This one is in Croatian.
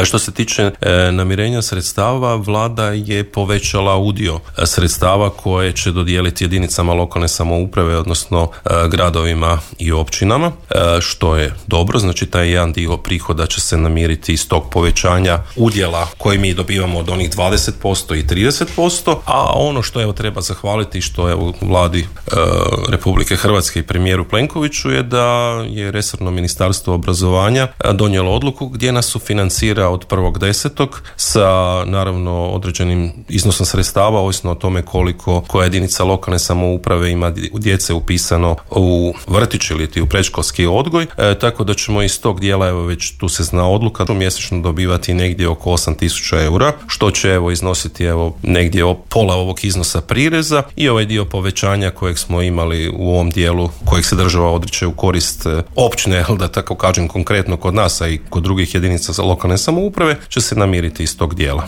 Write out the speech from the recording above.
Što se tiče namirenja sredstava, vlada je povećala udio sredstava koje će dodijeliti jedinicama lokalne samouprave, odnosno gradovima i općinama, što je dobro. Znači taj jedan dio prihoda će se namiriti iz tog povećanja udjela koji mi dobivamo od onih 20% i 30%, a ono što treba zahvaliti, što je u vladi Republike Hrvatske i premijeru Plenkoviću, je da je resorno ministarstvo obrazovanja donijelo odluku gdje nas sufinancira od 1.10. sa naravno određenim iznosom sredstava, ovisno o tome koliko koja jedinica lokalne samouprave ima djece upisano u vrtić ili u predškolski odgoj, tako da ćemo iz tog dijela, već tu se zna odluka, mjesečno dobivati negdje oko 8.000 eura, što će iznositi negdje pola ovog iznosa prireza, i ovaj dio povećanja kojeg smo imali u ovom dijelu, kojeg se država odriče u korist općine, da tako kažem konkretno kod nas, a i kod drugih jedinica za lokalne samouprave, će se namiriti iz tog dijela.